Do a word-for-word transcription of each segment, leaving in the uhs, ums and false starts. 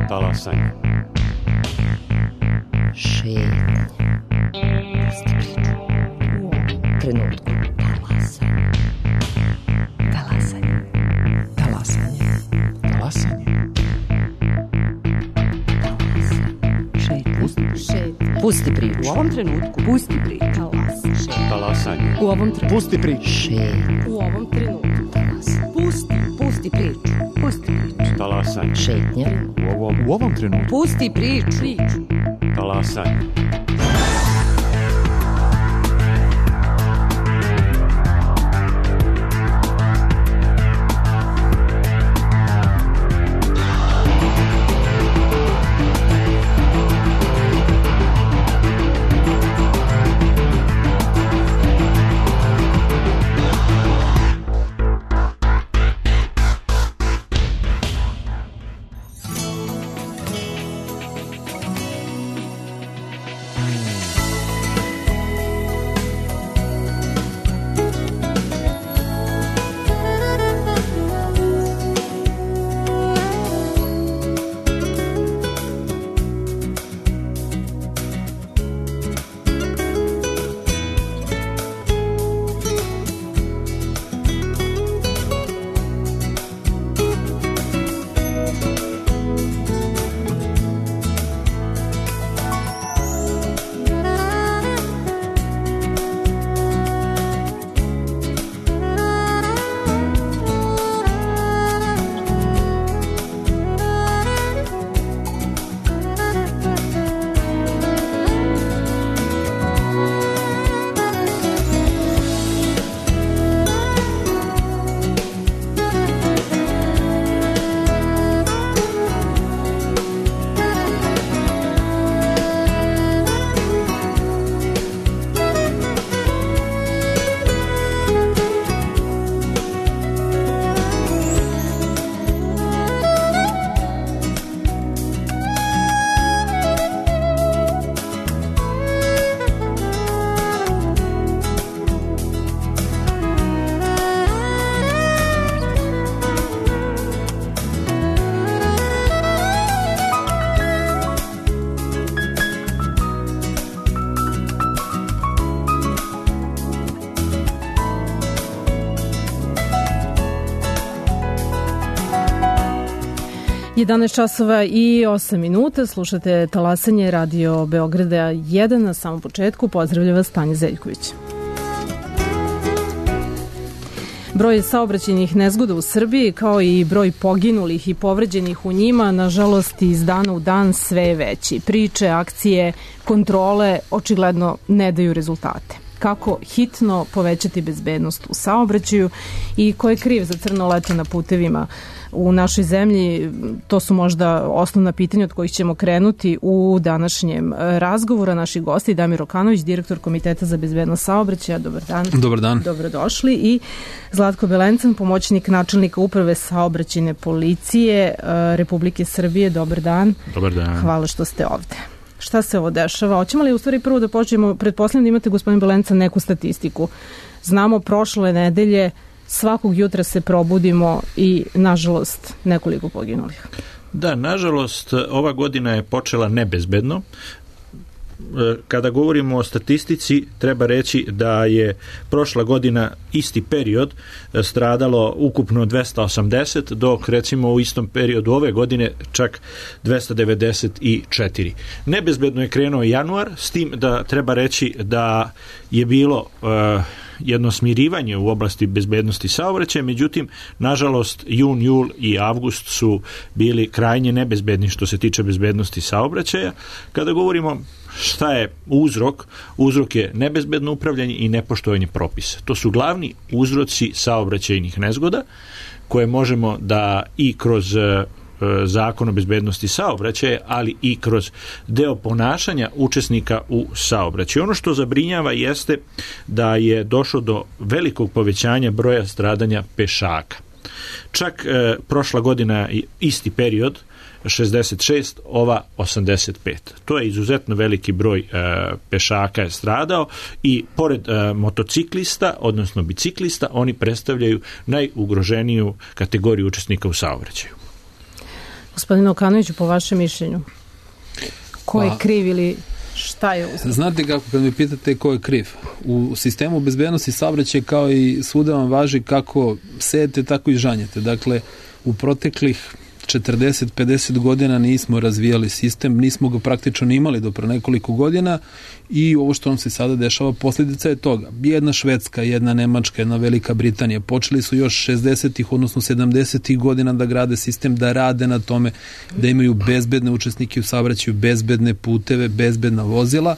Talasanje. Šetnja. Pusti priču. U ovom trenutku. Talasanje. Talasanje. Talasanje. Talasanje. Šetnja. Pusti priču. U ovom trenutku. Pusti priču. Talas. Talasanje. U ovom trenutku. Pusti priču. Šetnja. U ovom trenutku. Talas. Pusti. Pusti priču. Pusti priču. Talasanje. Šetnja. U ovom, U ovom trenutku. Pusti priču. Priču. talasanje. jedanaest časova i osam minuta, slušate Talasanje, Radio Beograda jedan. Na samom početku pozdravlja vas Tanja Zeljković. Broj saobraćajnih nezgoda u Srbiji, kao i broj poginulih i povređenih u njima, nažalost iz dana u dan sve je veći. Priče, akcije, kontrole očigledno ne daju rezultate. Kako hitno povećati bezbednost u saobraćaju i ko je kriv za crno leto na putevima u našoj zemlji, to su možda osnovna pitanja od kojih ćemo krenuti u današnjem razgovoru. Naši gosti, Damir Okanović, direktor Komiteta za bezbednost saobraćaja. Dobar dan. Dobar dan. Dobrodošli. I Zlatko Belencan, pomoćnik načelnika Uprave saobraćajne policije Republike Srbije. Dobar dan. Dobar dan. Hvala što ste ovde. Šta se ovo dešava? Hoćemo li u stvari prvo da počnemo, pretpostavljam da imate, gospodin Belencan, neku statistiku. Znamo, prošle nedelje svakog jutra se probudimo i, nažalost, nekoliko poginulih. Da, nažalost, ova godina je počela nebezbedno. Kada govorimo o statistici, treba reći da je prošla godina isti period stradalo ukupno dvesta osamdeset, dok recimo u istom periodu ove godine čak dvesta devedeset četiri. Nebezbedno je krenuo januar, s tim da treba reći da je bilo uh, jedno smirivanje u oblasti bezbednosti saobraćaja, međutim, nažalost, jun, jul i avgust su bili krajnje nebezbedni što se tiče bezbednosti saobraćaja. Kada govorimo šta je uzrok? Uzrok je nebezbedno upravljanje i nepoštovanje propisa. To su glavni uzroci saobraćajnih nezgoda koje možemo da i kroz Zakon o bezbednosti saobraćaja, ali i kroz deo ponašanja učesnika u saobraćaju. Ono što zabrinjava jeste da je došlo do velikog povećanja broja stradanja pešaka. Čak e, prošla godina isti period, šezdeset šest, ova osamdeset pet. To je izuzetno veliki broj e, pešaka je stradao i pored e, motociklista, odnosno biciklista, oni predstavljaju najugroženiju kategoriju učesnika u saobraćaju. Gospodine Okanoviću, po vašem mišljenju, ko je Pa, kriv ili šta je uzrok? Znate kako, kad me pitate ko je kriv, u sistemu bezbednosti saobraćaja kao i svuda vam važi kako sejete, tako i žanjete. Dakle, u proteklih četrdeset do pedeset godina nismo razvijali sistem, nismo ga praktično ni imali do pre nekoliko godina i ovo što nam se sada dešava posljedica je toga. Jedna Švedska, jedna Nemačka, jedna Velika Britanija počeli su još šezdesetih, odnosno sedamdesetih godina da grade sistem, da rade na tome, da imaju bezbedne učesnike u saobraćaju, bezbedne puteve, bezbedna vozila,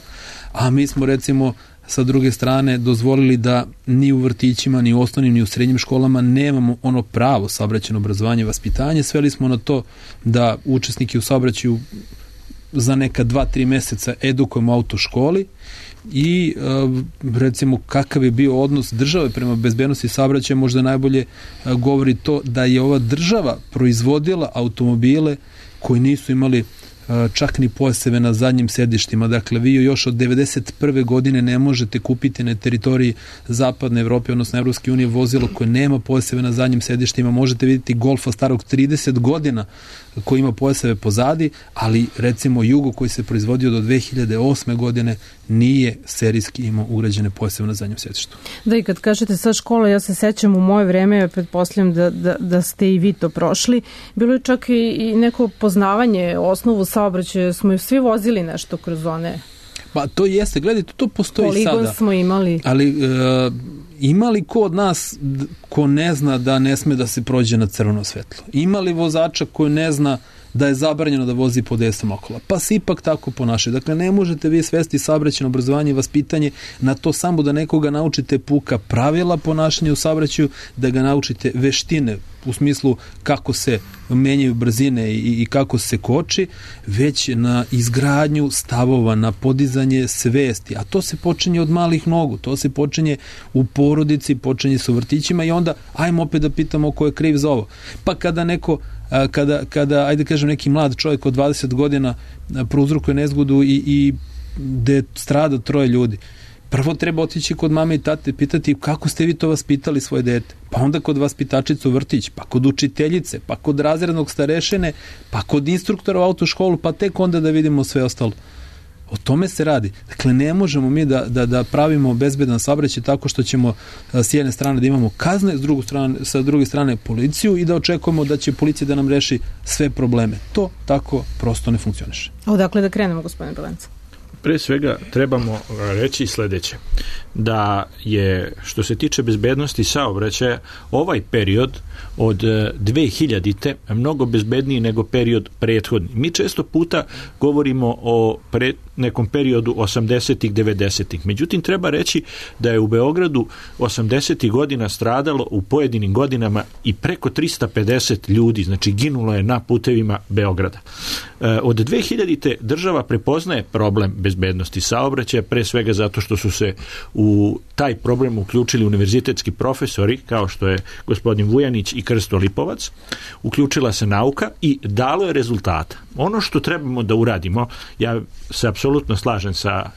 a mi smo recimo sa druge strane dozvolili da ni u vrtićima, ni u osnovnim, ni u srednjim školama nemamo ono pravo saobraćajno obrazovanje i vaspitanje. Sveli smo na to da učesniki u saobraćaju za neka dva, tri meseca edukujemo u autoškoli i recimo kakav je bio odnos države prema bezbednosti saobraćaja možda najbolje govori to da je ova država proizvodila automobile koji nisu imali čak ni pojaseve na zadnjim sedištima. Dakle, vi još od devedeset prve godine ne možete kupiti na teritoriji Zapadne Evrope, odnosno Evropske unije, vozilo koje nema pojaseve na zadnjim sedištima. Možete vidjeti Golfa starog trideset godina koji ima pojaseve pozadi, ali recimo Jugo koji se proizvodio do dve hiljade osme godine nije serijski imao ugrađene pojaseve na zadnjem sedištu. Da, i kad kažete sad škola, ja se sećam u moje vreme, pretpostavljam da, da, da ste i vi to prošli, bilo je čak i, i neko poznavanje osnovu saobraćaja, smo ju svi vozili nešto kroz one. Pa to jeste, gledajte, to postoji Poligon sada. Poligon smo imali. Ali e, ima li ko od nas ko ne zna da ne sme da se prođe na crveno svetlo? Ima li vozača koji ne zna da je zabranjeno da vozi po desnom okola? Pa se ipak tako ponaša. Dakle, ne možete vi svesti saobraćajno obrazovanje i vaspitanje na to samo da nekoga naučite puka pravila ponašanja u saobraćaju, da ga naučite veštine u smislu kako se menjaju brzine i, i kako se koči, već na izgradnju stavova, na podizanje svesti. A to se počinje od malih nogu, to se počinje u porodici, počinje se u vrtićima i onda ajmo opet da pitamo ko je kriv za ovo. Pa kada neko Kada, kada, ajde kažem, neki mlad čovjek od dvadeset godina prouzrokuje nezgodu i, i gde strada troje ljudi, prvo treba otići kod mame i tate, pitati kako ste vi to vaspitali svoje dete, pa onda kod vaspitačice u vrtić, pa kod učiteljice, pa kod razrednog starešine, pa kod instruktora u autoškolu, pa tek onda da vidimo sve ostalo. O tome se radi. Dakle, ne možemo mi da, da, da pravimo bezbedan saobraćaj tako što ćemo s jedne strane da imamo kazne, s druge strane, sa druge strane policiju i da očekujemo da će policija da nam reši sve probleme. To tako prosto ne funkcioniše. Odakle da krenemo, gospodine Balenca? Pre svega trebamo reći sledeće, da je, što se tiče bezbednosti saobraćaja, ovaj period od dve hiljadite mnogo bezbedniji nego period prethodni. Mi često puta govorimo o pre, nekom periodu osamdesetih, devedesetih. Međutim, treba reći da je u Beogradu osamdesetih godina stradalo u pojedinim godinama i preko trista pedeset ljudi, znači ginulo je na putevima Beograda. Od dve hiljadite država prepoznaje problem bezbednosti saobraćaja, pre svega zato što su se u taj problem uključili univerzitetski profesori, kao što je gospodin Vujanić i Krsto Lipovac, uključila se nauka i dalo je rezultata. Ono što trebamo da uradimo, ja se apsolutno slažem sa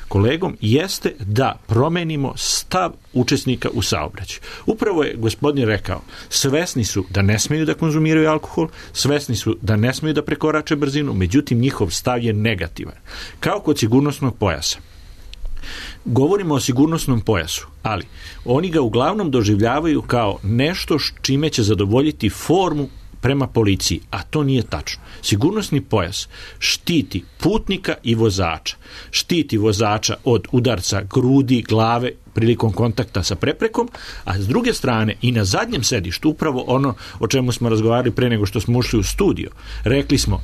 kolegom, jeste da promenimo stav učesnika u saobraćaju. Upravo je gospodin rekao, svesni su da ne smeju da konzumiraju alkohol, svesni su da ne smeju da prekorače brzinu, međutim njihov stav je negativan. Kao kod sigurnosnog pojasa. Govorimo o sigurnosnom pojasu, ali oni ga uglavnom doživljavaju kao nešto čime će zadovoljiti formu prema policiji, a to nije tačno. Sigurnosni pojas štiti putnika i vozača. Štiti vozača od udarca grudi, glave prilikom kontakta sa preprekom, a s druge strane i na zadnjem sedištu, upravo ono o čemu smo razgovarali pre nego što smo ušli u studio, rekli smo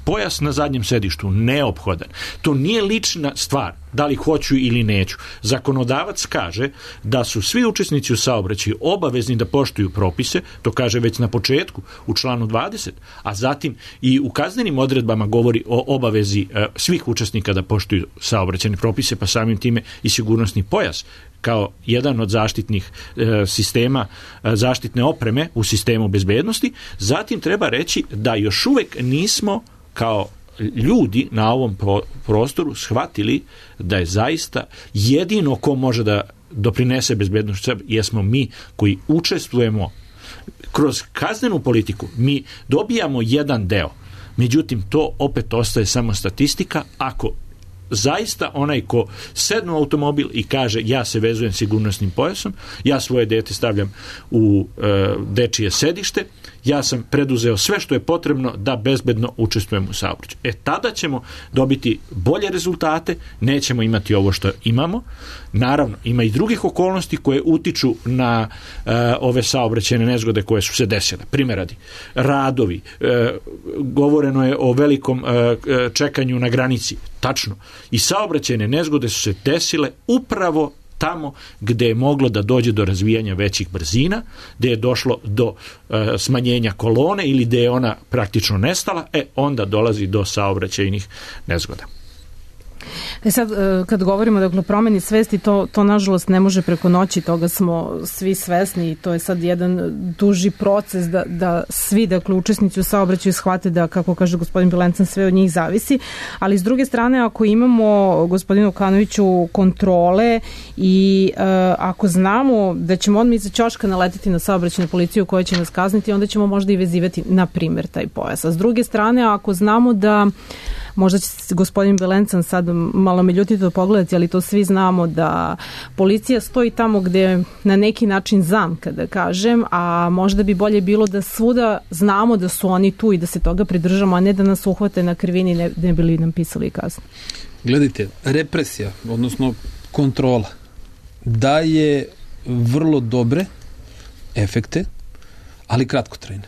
pojas na zadnjem sedištu neophodan. To nije lična stvar, da li hoću ili neću. Zakonodavac kaže da su svi učesnici u saobraćaju obavezni da poštuju propise, to kaže već na početku u članu dvadeset, a zatim i u kaznenim odredbama govori o obavezi e, svih učesnika da poštuju saobraćajne propise, pa samim time i sigurnosni pojas kao jedan od zaštitnih e, sistema, e, zaštitne opreme u sistemu bezbednosti. Zatim treba reći da još uvek nismo kao ljudi na ovom prostoru shvatili da je zaista jedino ko može da doprinese bezbednosti jesmo mi koji učestvujemo kroz kaznenu politiku mi dobijamo jedan deo, međutim to opet ostaje samo statistika. Ako zaista onaj ko sedne u automobil i kaže ja se vezujem sigurnosnim pojasom, ja svoje dete stavljam u e, dečije sedište, ja sam preduzeo sve što je potrebno da bezbedno učestvujem u saobraćaju. E tada ćemo dobiti bolje rezultate, nećemo imati ovo što imamo. Naravno, ima i drugih okolnosti koje utiču na e, ove saobraćajne nezgode koje su se desile. Primjer radi, radovi, e, govoreno je o velikom e, čekanju na granici. Tačno. I saobraćajne nezgode su se desile upravo tamo gde je moglo da dođe do razvijanja većih brzina, gde je došlo do e, smanjenja kolone ili gde je ona praktično nestala, e onda dolazi do saobraćajnih nezgoda. E sad, kad govorimo dakle, o promeni svesti, to, to nažalost ne može preko noći, toga smo svi svesni i to je sad jedan duži proces da, da svi dakle, učesnici u saobraćaju shvate da, kako kaže gospodin Belencan, sve od njih zavisi, ali s druge strane, ako imamo, gospodinu Kanoviću, kontrole i uh, ako znamo da ćemo odmah iza ćoška naletiti na saobraćajnu policiju koja će nas kazniti, onda ćemo možda i vezivati, na primjer, taj pojas. A s druge strane, ako znamo da možda će gospodin Belencan sad malo me ljutito pogledati, ali to svi znamo da policija stoji tamo gde na neki način zamka, da kažem, a možda bi bolje bilo da svuda znamo da su oni tu i da se toga pridržamo, a ne da nas uhvate na krivini, ne, ne bi li nam pisali kaznu. Gledajte, represija, odnosno kontrola, daje vrlo dobre efekte, ali kratkotrajne.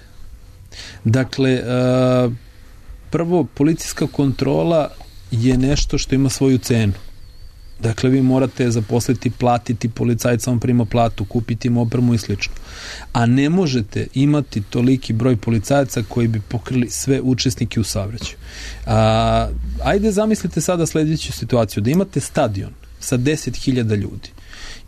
Dakle, uh, prvo, policijska kontrola je nešto što ima svoju cenu. Dakle, vi morate zaposliti, platiti policajca, on prima platu, kupiti mu opremu i slično. A ne možete imati toliki broj policajaca koji bi pokrili sve učesnike u saobraćaju. A, ajde zamislite sada sljedeću situaciju, da imate stadion sa deset hiljada ljudi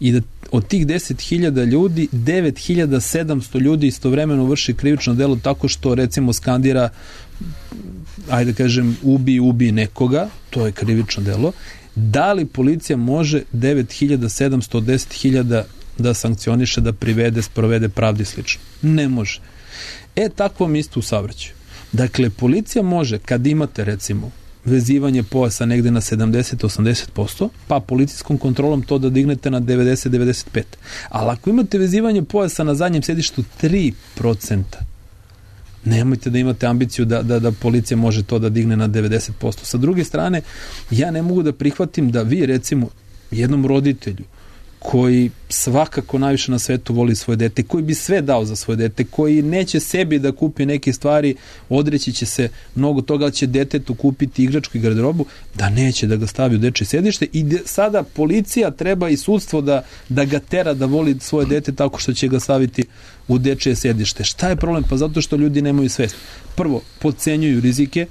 i da od tih deset hiljada ljudi devet hiljada sedamsto ljudi istovremeno vrši krivično delo tako što recimo skandira, ajde kažem, ubi, ubi nekoga, to je krivično delo. Da li policija može devet hiljada sedamsto od deset hiljada da sankcioniše, da privede, sprovede pravdi slično? Ne može. E, takvo mi isto u saobraćaju. Dakle, policija može, kad imate recimo vezivanje pojasa negde na sedamdeset do osamdeset posto, pa policijskom kontrolom to da dignete na devedeset do devedeset pet. Ali ako imate vezivanje pojasa na zadnjem sedištu tri procenta, nemojte da imate ambiciju da, da, da policija može to da digne na devedeset posto. Sa druge strane, ja ne mogu da prihvatim da vi, recimo, jednom roditelju koji svakako najviše na svetu voli svoje dete, koji bi sve dao za svoje dete, koji neće sebi da kupi neke stvari, odreći će se mnogo toga, ali će detetu kupiti igračku i garderobu, da neće da ga stavi u dečje sedište i de, sada policija treba i sudstvo da, da ga tera da voli svoje dete tako što će ga staviti u dečje sedište. Šta je problem? Pa zato što ljudi nemaju svest. Prvo, podcenjuju rizike,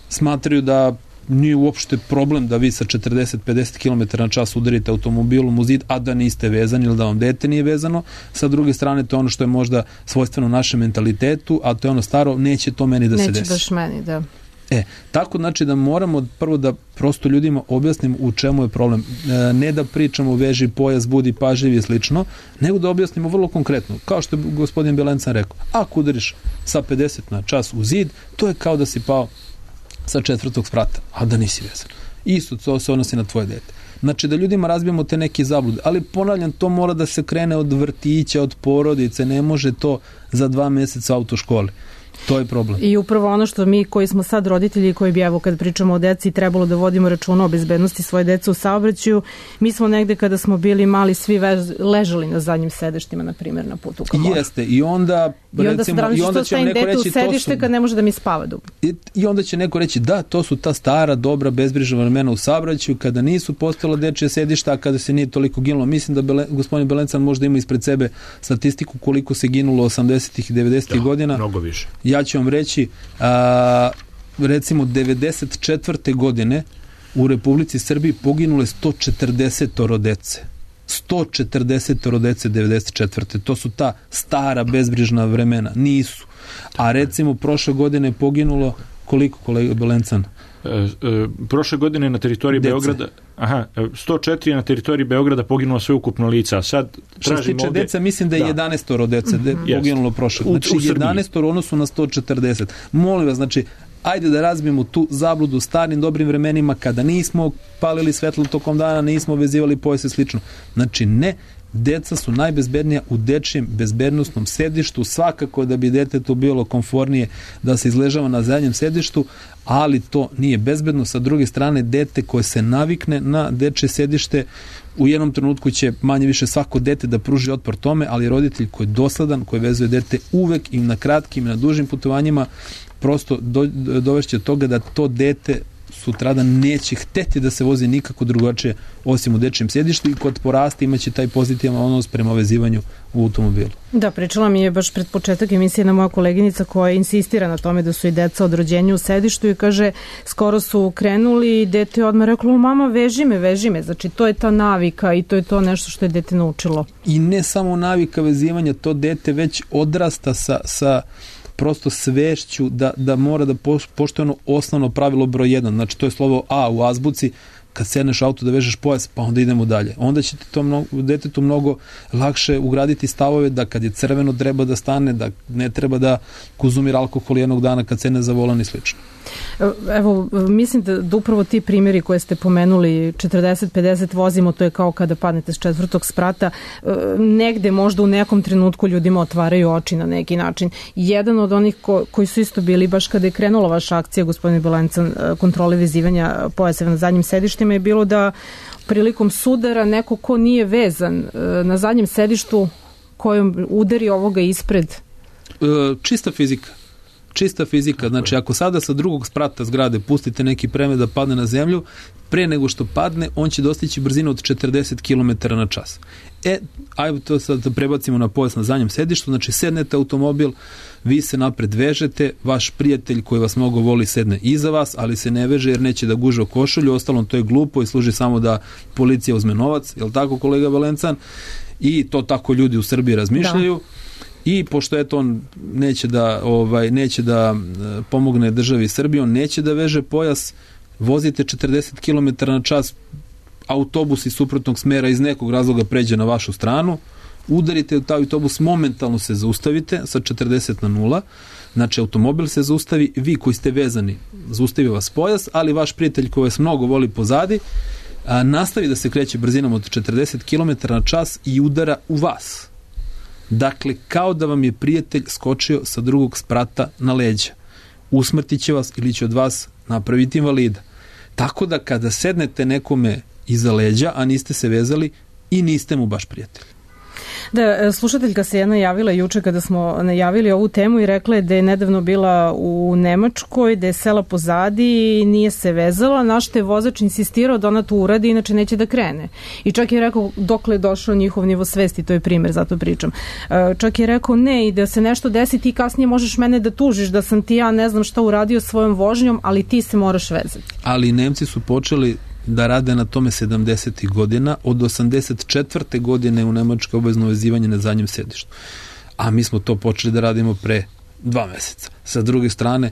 smatraju da nije uopšte problem da vi sa četrdeset do pedeset kilometara na čas udarite automobilom u zid, a da niste vezani ili da vam dete nije vezano. Sa druge strane, to je ono što je možda svojstveno našem mentalitetu, a to je ono staro, neće to meni da neće se desi. Neće baš meni, da. E, tako znači da moramo prvo da prosto ljudima objasnimo u čemu je problem. E, ne da pričamo veži pojas, budi pažljiv i slično, nego da objasnimo vrlo konkretno. Kao što je gospodin Belencan rekao, ako udariš sa pedeset na čas u zid, to je kao da si pao sa četvrtog sprata, a da nisi vezan. Isto to se odnosi na tvoje dete. Znači da ljudima razbijemo te neke zablude, ali ponavljam, to mora da se krene od vrtića, od porodice, ne može to za dva meseca u autoškoli. To je problem. I upravo ono što mi koji smo sad roditelji, koji bi evo kad pričamo o deci trebalo da vodimo računa o bezbednosti svoje dece u saobraćaju, mi smo negde kada smo bili mali svi vez, ležali na zadnjim sedištima, na primjer na putu ka moru. Jeste, i onda I onda, recimo, se i onda će neko reći u sedište su, kad ne može da mi spava dugo. I, I onda će neko reći da, to su ta stara, dobra, bezbrižna vremena u saobraćaju kada nisu postojala dečje sedišta, a kada se nije toliko ginulo. Mislim da Bele, gospodin Belencan možda ima ispred sebe statistiku koliko se ginulo osamdesetih i devedesetih godina. Mnogo više. Ja ću vam reći, a, recimo devedeset četvrte godine u Republici Srbiji poginule sto četrdeset dece. sto četrdeset dece devedeset četvrte. To su ta stara bezbrižna vremena. Nisu. A recimo prošle godine je poginulo Koliko, kolega Belencan? E, e, prošle godine na teritoriji Dece. Beograda aha, sto četiri na teritoriji Beograda poginulo sveukupno lica. Sad što se tiče ovdje, deca, mislim da je da. jedanaestoro dece mm-hmm. de, poginulo prošle. Znači u, u jedanaestoro u odnosu na sto četrdeset. Molim vas, znači, ajde da razbijemo tu zabludu starim dobrim vremenima kada nismo palili svetlo tokom dana, nismo vezivali pojase i slično. Znači, ne, deca su najbezbednija u dečijem bezbednostnom sedištu, svakako da bi detetu bilo komfornije da se izležava na zadnjem sedištu, ali to nije bezbedno. Sa druge strane, dete koje se navikne na dečje sedište, u jednom trenutku će manje više svako dete da pruži otpor tome, ali roditelj koji je dosadan, koji vezuje dete uvek i na kratkim i na dužim putovanjima, prosto do, dovešće toga da to dete sutradan neće hteti da se vozi nikako drugačije osim u dečijem sedištu i kod porasta imaće taj pozitivan odnos prema vezivanju u automobilu. Da, pričala mi je baš pred početak emisije jedna moja koleginica koja insistira na tome da su i deca od rođenja u sedištu i kaže, skoro su krenuli i dete je odmah reklo, mama veži me, veži me. Znači to je ta navika i to je to nešto što je dete naučilo. I ne samo navika vezivanja, to dete već odrasta sa, sa prosto svešću da, da mora da poštuje ono osnovno pravilo broj jedan. Znači to je slovo A u azbuci, kad sedneš u auto da vežeš pojas, pa onda idemo dalje. Onda će ti to mnogo, detetu mnogo lakše ugraditi stavove da kad je crveno treba da stane, da ne treba da konzumira alkohol jednog dana kad sedne za volan i slično. Evo, mislim da, da upravo ti primjeri koje ste pomenuli, četrdeset pedeset vozimo, to je kao kada padnete s četvrtog sprata, negde možda u nekom trenutku ljudima otvaraju oči na neki način. Jedan od onih ko, koji su isto bili baš kada je krenula vaša akcija, gospodine Belencan, kontrole vezivanja pojaseva na zadnjim sedištima, je bilo da prilikom sudara neko ko nije vezan na zadnjem sedištu kojom udari ovoga ispred. Čista fizika. Čista fizika, znači ako sada sa drugog sprata zgrade pustite neki predmet da padne na zemlju, pre nego što padne, on će dostići brzinu od četrdeset kilometara na čas. E, ajmo to sad da prebacimo na pojas na zadnjem sedištu, znači sednete automobil, vi se napred vežete, vaš prijatelj koji vas mnogo voli sedne iza vas, ali se ne veže jer neće da guže o košulju, ostalom to je glupo i služi samo da policija uzme novac, je li tako kolega Belencan? I to tako ljudi u Srbiji razmišljaju. Da. I pošto eto on neće da ovaj neće da pomogne državi Srbiji, on neće da veže pojas, vozite četrdeset kilometara na čas, autobus iz suprotnog smera iz nekog razloga pređe na vašu stranu, udarite u taj autobus, momentalno se zaustavite sa četrdeset na nula, znači automobil se zaustavi, vi koji ste vezani, zaustavi vas pojas, ali vaš prijatelj koji vas mnogo voli pozadi, a, nastavi da se kreće brzinom od četrdeset kilometara na čas i udara u vas. Dakle, kao da vam je prijatelj skočio sa drugog sprata na leđa. Usmrtit će vas ili će od vas napraviti invalida. Tako da kada sednete nekome iza leđa, a niste se vezali, i niste mu baš prijatelj. Da, slušateljka se jedna javila juče kada smo najavili ovu temu i rekla je da je nedavno bila u Nemačkoj, da je sela pozadi i nije se vezala, na što je vozač insistirao da ona to uradi, inače neće da krene. I čak je rekao dokle je došao njihov nivo svesti, to je primjer, zato pričam. Čak je rekao ne, i da se nešto desi, ti kasnije možeš mene da tužiš, da sam ti ja ne znam šta uradio svojom vožnjom, ali ti se moraš vezati. Ali Nemci su počeli da rade na tome sedamdesetih godina, od osamdeset četvrte godine u Nemačkoj obavezno vezivanje na zadnjem sedištu. A mi smo to počeli da radimo pre dva meseca. Sa druge strane,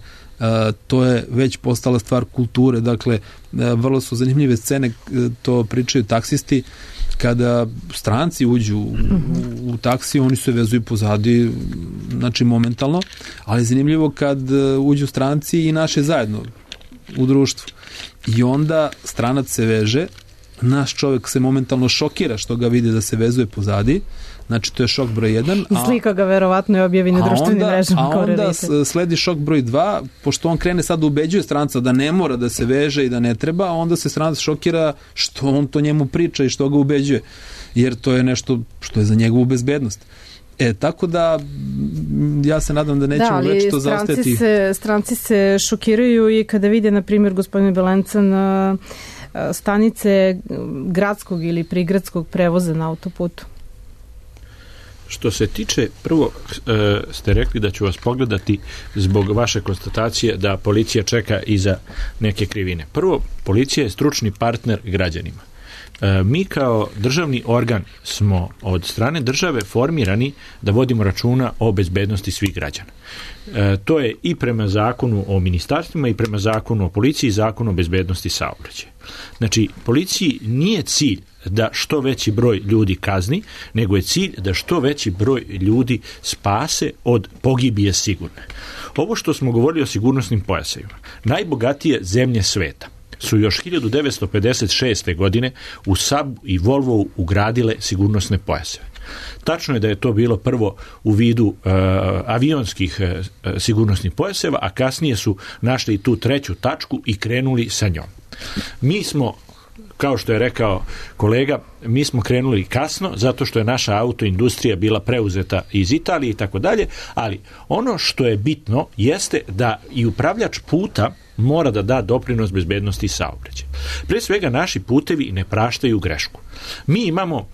to je već postala stvar kulture, dakle, vrlo su zanimljive scene, to pričaju taksisti, kada stranci uđu u, u taksi, oni se vezuju pozadi, znači momentalno, ali je zanimljivo kad uđu stranci i naše zajedno u društvu. I onda stranac se veže, naš čovjek se momentalno šokira što ga vidi da se vezuje pozadi, znači to je šok broj jedan. I slika ga verovatno je objavi na društvenim mrežama. A onda sledi šok broj dva, pošto on krene sad da ubeđuje stranca da ne mora da se veže i da ne treba, a onda se stranac šokira što on to njemu priča i što ga ubeđuje, jer to je nešto što je za njegovu bezbednost. E, tako da ja se nadam da nećemo da, već to zaostati. Se, stranci se šokiraju i kada vide, na primjer, gospodine Belencan, stanice gradskog ili prigradskog prevoza na autoputu. Što se tiče, prvo e, ste rekli da ću vas pogledati zbog vaše konstatacije da policija čeka iza neke krivine. Prvo, policija je stručni partner građanima. Mi kao državni organ smo od strane države formirani da vodimo računa o bezbednosti svih građana. To je i prema zakonu o ministarstvima i prema zakonu o policiji i zakonu o bezbednosti saobraćaja. Znači, policiji nije cilj da što veći broj ljudi kazni, nego je cilj da što veći broj ljudi spase od pogibije sigurne. Ovo što smo govorili o sigurnosnim pojasevima, najbogatije zemlje sveta su još hiljadu devetsto pedeset šeste. godine u Sabu i Volvovu ugradile sigurnosne pojaseve. Tačno je da je to bilo prvo u vidu uh, avionskih uh, sigurnosnih pojaseva, a kasnije su našli tu treću tačku i krenuli sa njom. Mi smo, kao što je rekao kolega, mi smo krenuli kasno zato što je naša autoindustrija bila preuzeta iz Italije i tako dalje, ali ono što je bitno jeste da i upravljač puta mora da da doprinos bezbednosti saobraćaja. Pre svega, naši putevi ne praštaju grešku. Mi imamo uh,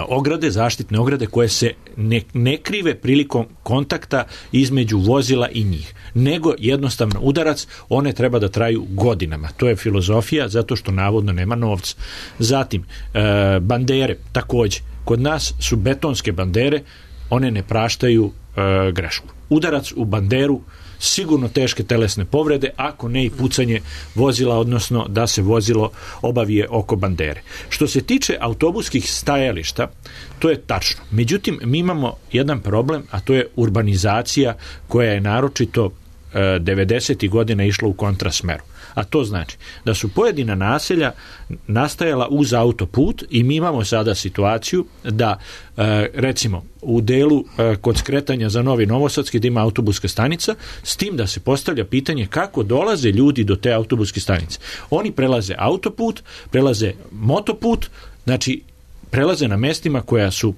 ograde, zaštitne ograde koje se ne, ne krive prilikom kontakta između vozila i njih, nego jednostavno udarac, one treba da traju godinama. To je filozofija zato što navodno nema novca. Zatim, uh, bandere, takođe. Kod nas su betonske bandere, one ne praštaju uh, grešku. Udarac u banderu, sigurno teške telesne povrede, ako ne i pucanje vozila, odnosno da se vozilo obavije oko bandere. Što se tiče autobuskih stajališta, to je tačno. Međutim, mi imamo jedan problem, a to je urbanizacija koja je naročito e, devedesetih godina išla u kontrasmeru. A to znači da su pojedina naselja nastajala uz autoput i mi imamo sada situaciju da e, recimo u delu e, kod skretanja za Novi Novosadski da ima autobuska stanica, s tim da se postavlja pitanje kako dolaze ljudi do te autobuske stanice. Oni prelaze autoput, prelaze motoput, znači prelaze na mestima koja su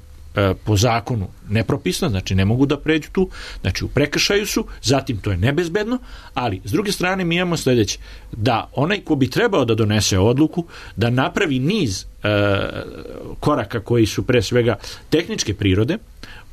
po zakonu nepropisno, znači ne mogu da pređu tu, znači u prekršaju su, zatim to je nebezbedno, ali s druge strane mi imamo sljedeće, da onaj ko bi trebao da donese odluku, da napravi niz e, koraka koji su pre svega tehničke prirode,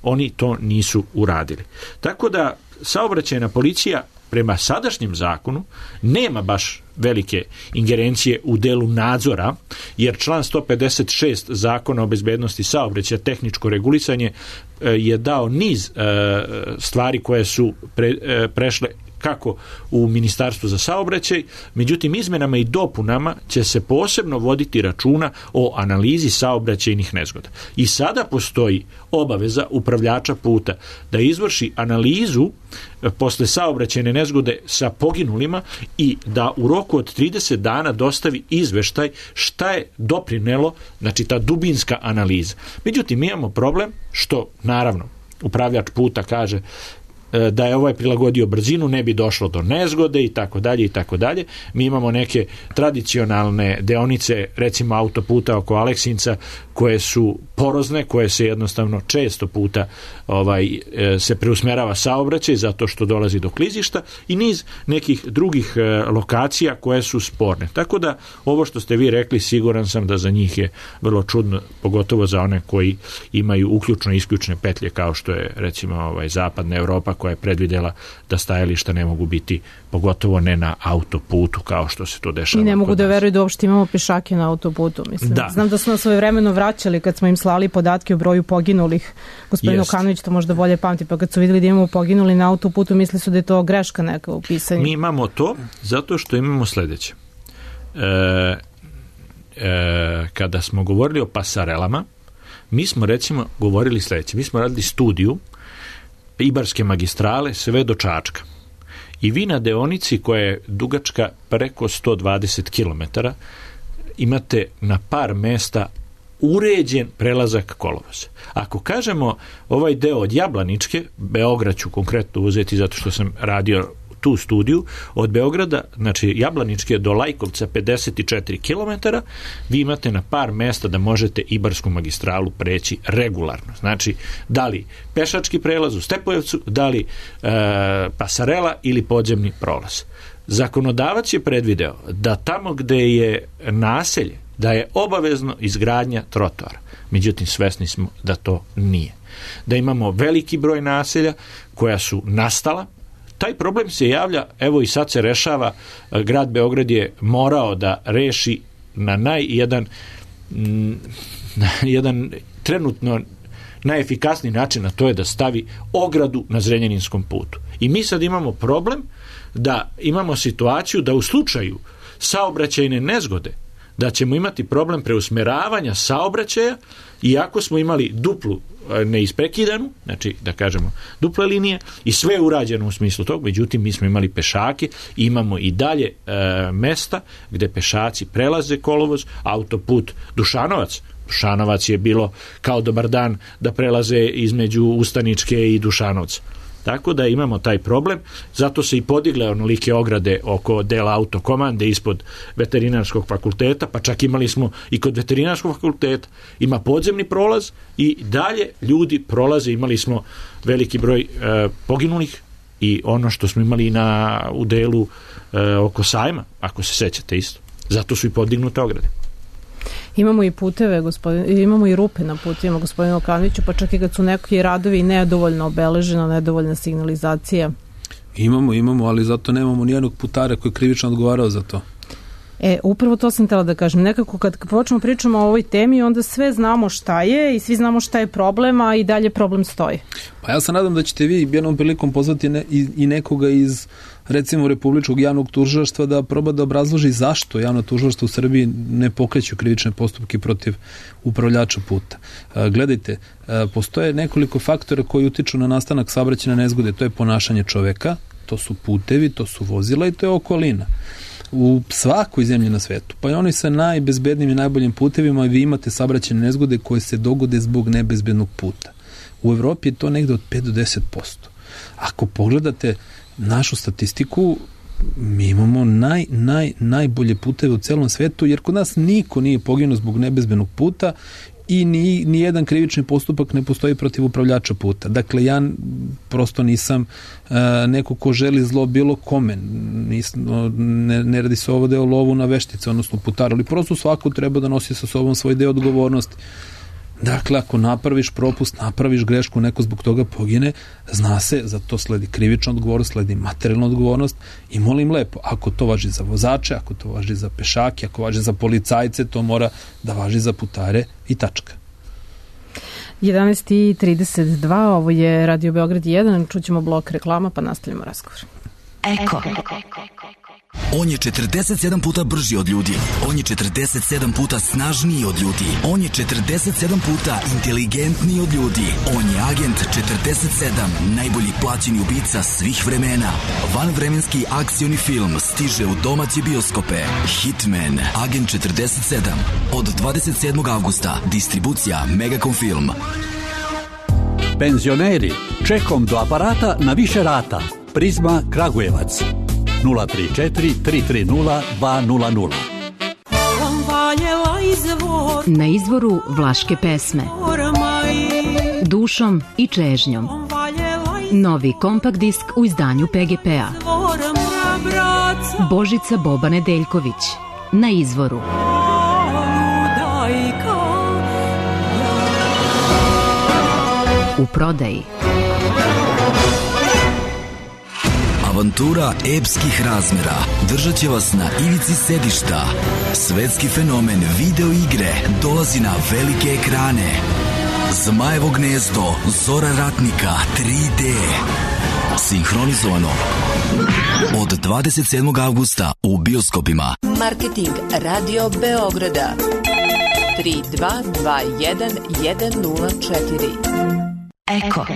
oni to nisu uradili. Tako da saobraćajna policija prema sadašnjem zakonu nema baš velike ingerencije u delu nadzora, jer član sto pedeset šest Zakona o bezbednosti saobraćaja, tehničko regulisanje, je dao niz stvari koje su pre, prešle kako u Ministarstvu za saobraćaj, međutim izmenama i dopunama će se posebno voditi računa o analizi saobraćajnih nezgoda. I sada postoji obaveza upravljača puta da izvrši analizu posle saobraćajne nezgode sa poginulima i da u roku od trideset dana dostavi izveštaj šta je doprinelo, znači ta dubinska analiza. Međutim, mi imamo problem što, naravno, upravljač puta kaže da je ovaj prilagodio brzinu, ne bi došlo do nezgode i tako dalje i tako dalje. Mi imamo neke tradicionalne deonice, recimo autoputa oko Aleksinca, koje su porozne, koje se jednostavno često puta ovaj se preusmerava saobraćaj zato što dolazi do klizišta i niz nekih drugih lokacija koje su sporne. Tako da ovo što ste vi rekli, siguran sam da za njih je vrlo čudno, pogotovo za one koji imaju uključno i isključne petlje, kao što je recimo ovaj zapadna Evropa koja je predvidela da stajališta ne mogu biti, pogotovo ne na autoputu kao što se to dešava. I ne mogu da veruju da uopšte imamo pešake na autoputu. Mislim. Da. Znam da su nas svojevremeno vraćali kad smo im slali podatke o broju poginulih. Gospodin Okanović to možda bolje pamti, pa kad su vidjeli da imamo poginuli na autoputu, mislili su da je to greška neka u pisanju. Mi imamo to zato što imamo sljedeće. E, e, kada smo govorili o pasarelama, mi smo recimo govorili sljedeće. Mi smo radili studiju Ibarske magistrale sve do Čačka. I vi na deonici koja je dugačka preko sto dvadeset kilometara imate na par mesta uređen prelazak kolovoza. Ako kažemo ovaj deo od Jablaničke, Beograd ću konkretno uzeti zato što sam radio tu studiju, od Beograda, znači Jablaničke do Lajkovca pedeset četiri kilometara, vi imate na par mesta da možete Ibarsku magistralu preći regularno. Znači, da li pešački prelaz u Stepojevcu, da li e, pasarela ili podzemni prolaz. Zakonodavac je predvideo da tamo gde je naselje, da je obavezno izgradnja trotoara. Međutim, svesni smo da to nije. Da imamo veliki broj naselja koja su nastala. Taj problem se javlja, evo i sad se rešava, grad Beograd je morao da reši na naj jedan, na jedan trenutno najefikasniji način, a to je da stavi ogradu na Zrenjaninskom putu. I mi sad imamo problem da imamo situaciju da u slučaju saobraćajne nezgode da ćemo imati problem preusmeravanja saobraćaja, iako smo imali duplu neisprekidanu, znači da kažemo duple linije i sve je urađeno u smislu tog, međutim mi smo imali pešake i imamo i dalje e, mesta gde pešaci prelaze kolovoz, autoput Dušanovac. Dušanovac je bilo kao dobar dan da prelaze između Ustaničke i Dušanovca. Tako da imamo taj problem, zato se i podigle onolike ograde oko dela autokomande ispod veterinarskog fakulteta, pa čak imali smo i kod veterinarskog fakulteta, ima podzemni prolaz i dalje ljudi prolaze, imali smo veliki broj e, poginulih i ono što smo imali na, u delu e, oko sajma, ako se sećate isto. Zato su i podignute ograde. Imamo i puteve, gospodin, imamo i rupe na putima, gospodine Okanoviću, pa čak i kad su neki radovi nedovoljno obeležena, nedovoljna signalizacija. Imamo, imamo, ali zato nemamo nijednog putara koji je krivično odgovarao za to. E, upravo to sam htjela da kažem. Nekako kad počnemo pričamo o ovoj temi, onda sve znamo šta je i svi znamo šta je problem, a i dalje problem stoji. Pa ja se nadam da ćete vi jednom prilikom pozvati ne, i, i nekoga iz recimo Republičkog javnog tužilaštva da proba da obrazloži zašto javno tužilaštvo u Srbiji ne pokreću krivične postupke protiv upravljača puta. E, gledajte, e, postoje nekoliko faktora koji utiču na nastanak saobraćajne nezgode. To je ponašanje čoveka, to su putevi, to su vozila i to je okolina. U svakoj zemlji na svetu, pa i oni sa najbezbednijim i najboljim putevima, vi imate saobraćajne nezgode koje se dogode zbog nebezbednog puta. U Evropi je to negde od pet do deset posto. Ako pogledate našu statistiku, mi imamo naj, naj, najbolje puteve u celom svetu, jer kod nas niko nije poginuo zbog nebezbednog puta i ni, ni jedan krivični postupak ne postoji protiv upravljača puta. Dakle, ja prosto nisam uh, neko ko želi zlo bilo kome. Nis, ne, ne radi se ovo da je o lovu na veštice, odnosno putar, ali prosto svako treba da nosi sa sobom svoj deo odgovornosti. Dakle, ako napraviš propust, napraviš grešku, neko zbog toga pogine, zna se, za to sledi krivična odgovornost, sledi materijalna odgovornost i molim lepo, ako to važi za vozače, ako to važi za pešake, ako važi za policajce, to mora da važi za putare i tačka. jedanaest i trideset dva, ovo je Radio Beograd jedan, čućemo blok reklama pa nastavljamo razgovor. Eko. On je četrdeset sedam puta brži od ljudi. On je četrdeset sedam puta snažniji od ljudi. On je četrdeset sedam puta inteligentniji od ljudi. On je agent četrdeset sedam, najbolji plaćeni ubica svih vremena. Vanvremenski akcioni film stiže u domaće bioskope. Hitman, agent četrdeset sedam. Od dvadeset sedmog avgusta. Distribucija Megacom Film. Penzioneri, čekom do aparata na više rata. Prizma Kragujevac. nula tri četiri tri tri nula dva nula nula. Na izvoru vlaške pesme. Dušom i čežnjom. Novi kompakt disk u izdanju P G P-a. Božica Boba Nedeljković. Na izvoru. U prodaji. Avantura epskih razmera držat će vas na ivici sedišta. Svetski fenomen video igre dolazi na velike ekrane. Zmajevo gnezdo, Zora ratnika, tri D. Sinhronizovano od dvadeset sedmog avgusta u bioskopima. Marketing Radio Beograda tri dva dva jedan jedan nula četiri. Eko.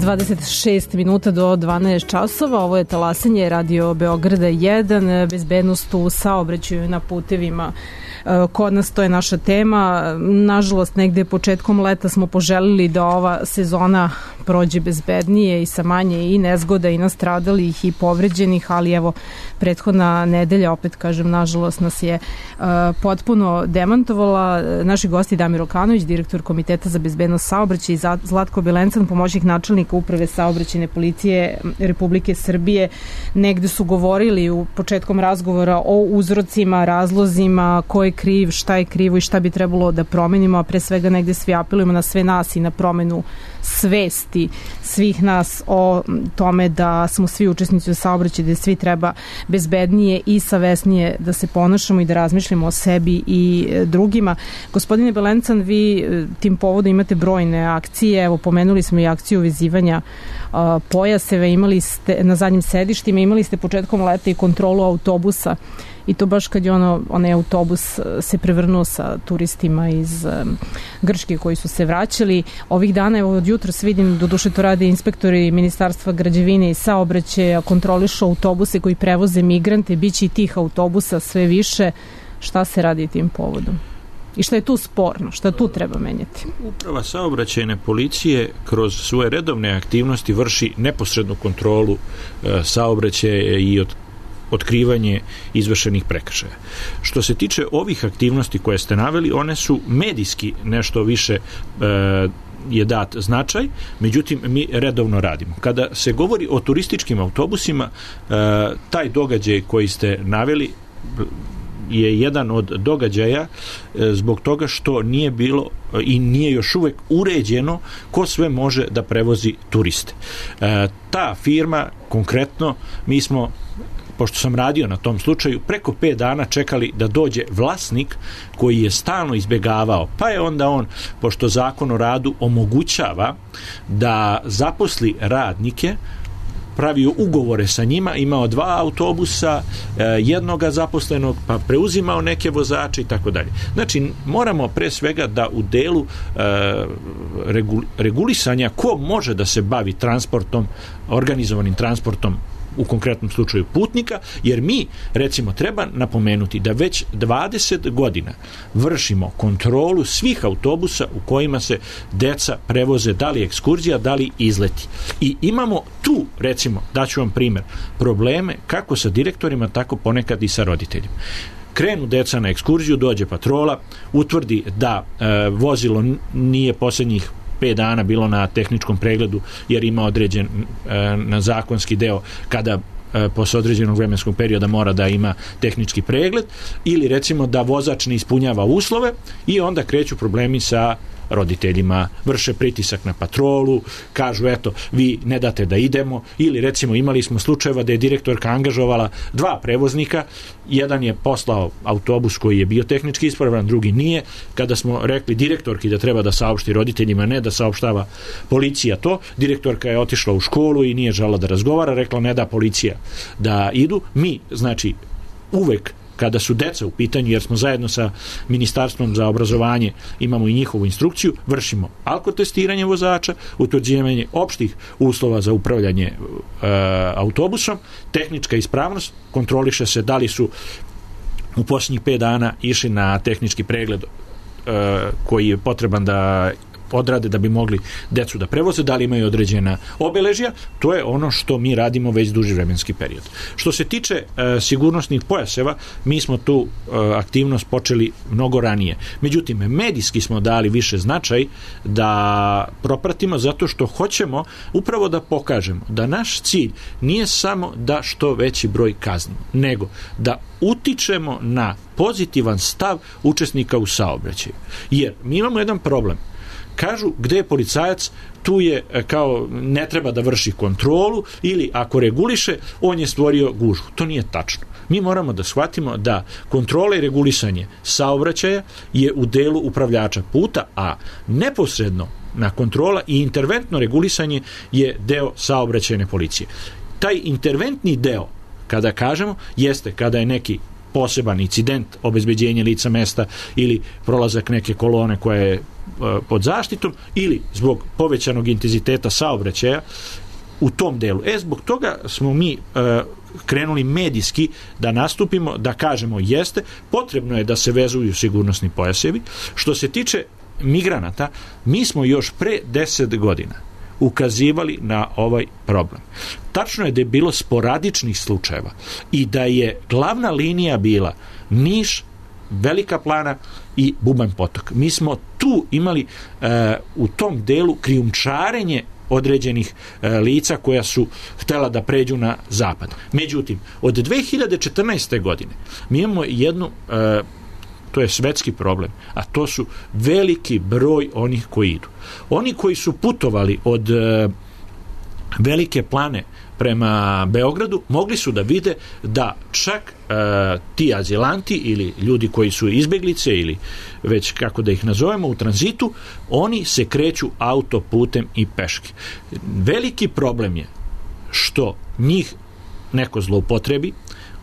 dvadeset šest minuta do dvanaest časova, ovo je talasanje Radio Beograda jedan, bezbednost u saobraćaju na putevima. Kod nas to je naša tema. Nažalost, negde početkom leta smo poželili da ova sezona prođe bezbednije i sa manje i nezgoda i nastradalih i povređenih, ali evo, prethodna nedelja, opet kažem, nažalost nas je uh, potpuno demantovala. Naši gosti Damir Okanović, direktor Komiteta za bezbednost saobraćaja, i Zlatko Belencan, pomoćnik načelnika Uprave saobraćajne policije Republike Srbije, negde su govorili u početkom razgovora o uzrocima, razlozima, ko je kriv, šta je krivo i šta bi trebalo da promenimo, a pre svega negde svi apelujemo na sve nas i na promenu svesti svih nas o tome da smo svi učesnici u saobraćaju, da svi treba bezbednije i savesnije da se ponašamo i da razmišljamo o sebi i drugima. Gospodine Belencan, vi tim povodom imate brojne akcije, evo pomenuli smo i akciju vezivanja uh, pojaseva, imali ste na zadnjim sedištima, imali ste početkom leta i kontrolu autobusa, i to baš kad je ono, onaj autobus se prevrnuo sa turistima iz um, Grčke koji su se vraćali. Ovih dana, evo od jutra se vidim, doduše to rade inspektori Ministarstva građevine i saobraćaja, kontrolišu autobuse koji prevoze migrante, biće i tih autobusa sve više. Šta se radi tim povodom? I šta je tu sporno? Šta tu treba menjati? Uprava saobraćajne policije kroz svoje redovne aktivnosti vrši neposrednu kontrolu e, saobraćaja i od otkrivanje izvršenih prekršaja. Što se tiče ovih aktivnosti koje ste naveli, one su medijski nešto više e, je dat značaj, međutim mi redovno radimo. Kada se govori o turističkim autobusima, e, taj događaj koji ste naveli je jedan od događaja zbog toga što nije bilo i nije još uvek uređeno ko sve može da prevozi turiste. E, ta firma, konkretno, mi smo, pošto sam radio na tom slučaju, preko pet dana čekali da dođe vlasnik koji je stalno izbegavao, pa je onda on, pošto Zakon o radu omogućava da zaposli radnike, pravio ugovore sa njima, imao dva autobusa, jednoga zaposlenog, pa preuzimao neke vozače i tako dalje. Znači, moramo pre svega da u delu regulisanja ko može da se bavi transportom, organizovanim transportom, u konkretnom slučaju putnika, jer mi, recimo, treba napomenuti da već dvadeset godina vršimo kontrolu svih autobusa u kojima se deca prevoze, da li ekskurzija, da li izleti. I imamo tu, recimo, daću vam primer, probleme kako sa direktorima, tako ponekad i sa roditeljima. Krenu deca na ekskurziju, dođe patrola, utvrdi da e, vozilo nije posljednjih pet dana bilo na tehničkom pregledu jer ima određen e, na zakonski deo kada e, posle određenog vremenskog perioda mora da ima tehnički pregled, ili recimo da vozač ne ispunjava uslove, i onda kreću problemi sa roditeljima, vrše pritisak na patrolu, kažu eto, vi ne date da idemo, ili recimo imali smo slučajeva da je direktorka angažovala dva prevoznika, jedan je poslao autobus koji je bio tehnički ispravan, drugi nije. Kada smo rekli direktorki da treba da saopšti roditeljima, ne da saopštava policija to, direktorka je otišla u školu i nije žela da razgovara, rekla ne da policija da idu. Mi, znači, uvek kada su deca u pitanju, jer smo zajedno sa Ministarstvom za obrazovanje, imamo i njihovu instrukciju, vršimo alkotestiranje vozača, utvrđivanje opštih uslova za upravljanje e, autobusom, tehnička ispravnost, kontroliše se da li su u posljednjih pet dana išli na tehnički pregled e, koji je potreban da odrade da bi mogli decu da prevoze, da li imaju određena obeležja. To je ono što mi radimo već duži vremenski period. Što se tiče e, sigurnosnih pojaseva, mi smo tu e, aktivnost počeli mnogo ranije. Međutim, medijski smo dali više značaj da propratimo, zato što hoćemo upravo da pokažemo da naš cilj nije samo da što veći broj kaznimo, nego da utičemo na pozitivan stav učesnika u saobraćaju. Jer mi imamo jedan problem. Kažu, gde je policajac, tu je kao ne treba da vrši kontrolu, ili ako reguliše, on je stvorio gužvu. To nije tačno. Mi moramo da shvatimo da kontrola i regulisanje saobraćaja je u delu upravljača puta, a neposredno na kontrola i interventno regulisanje je deo saobraćajne policije. Taj interventni deo, kada kažemo, jeste kada je neki poseban incident, obezbeđenje lica mesta ili prolazak neke kolone koja je pod zaštitom, ili zbog povećanog intenziteta saobraćaja u tom delu. E, zbog toga smo mi e, krenuli medijski da nastupimo, da kažemo jeste, potrebno je da se vezuju sigurnosni pojasevi. Što se tiče migranata, mi smo još pre deset godina ukazivali na ovaj problem. Tačno je da je bilo sporadičnih slučajeva i da je glavna linija bila Niš, Velika Plana i Bubanj Potok. Mi smo tu imali e, u tom delu krijumčarenje određenih e, lica koja su htela da pređu na zapad. Međutim, od dve hiljade četrnaeste. godine mi imamo jednu, e, to je svetski problem, a to su veliki broj onih koji idu. Oni koji su putovali od e, Velike Plane prema Beogradu, mogli su da vide da čak e, ti azilanti ili ljudi koji su izbeglice ili već kako da ih nazovemo u tranzitu, oni se kreću autoputem i peške. Veliki problem je što njih neko zloupotrebi,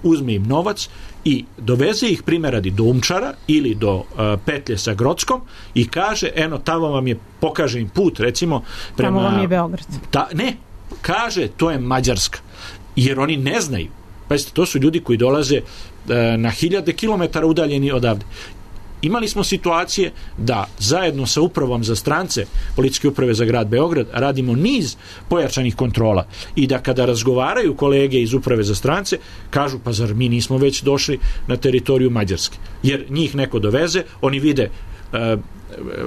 uzme im novac i doveze ih primjer radi do Umčara ili do uh, petlje sa Grodskom i kaže, eno, tamo vam je, pokaže im put, recimo, prema... Tamo vam je Beograd. Ta, ne, kaže, to je Mađarska. Jer oni ne znaju. Pazite, to su ljudi koji dolaze uh, na hiljade kilometara udaljeni odavde. Imali smo situacije da zajedno sa upravom za strance Policijske uprave za grad Beograd radimo niz pojačanih kontrola i da kada razgovaraju kolege iz uprave za strance kažu, pa zar mi nismo već došli na teritoriju Mađarske, jer njih neko doveze, oni vide e,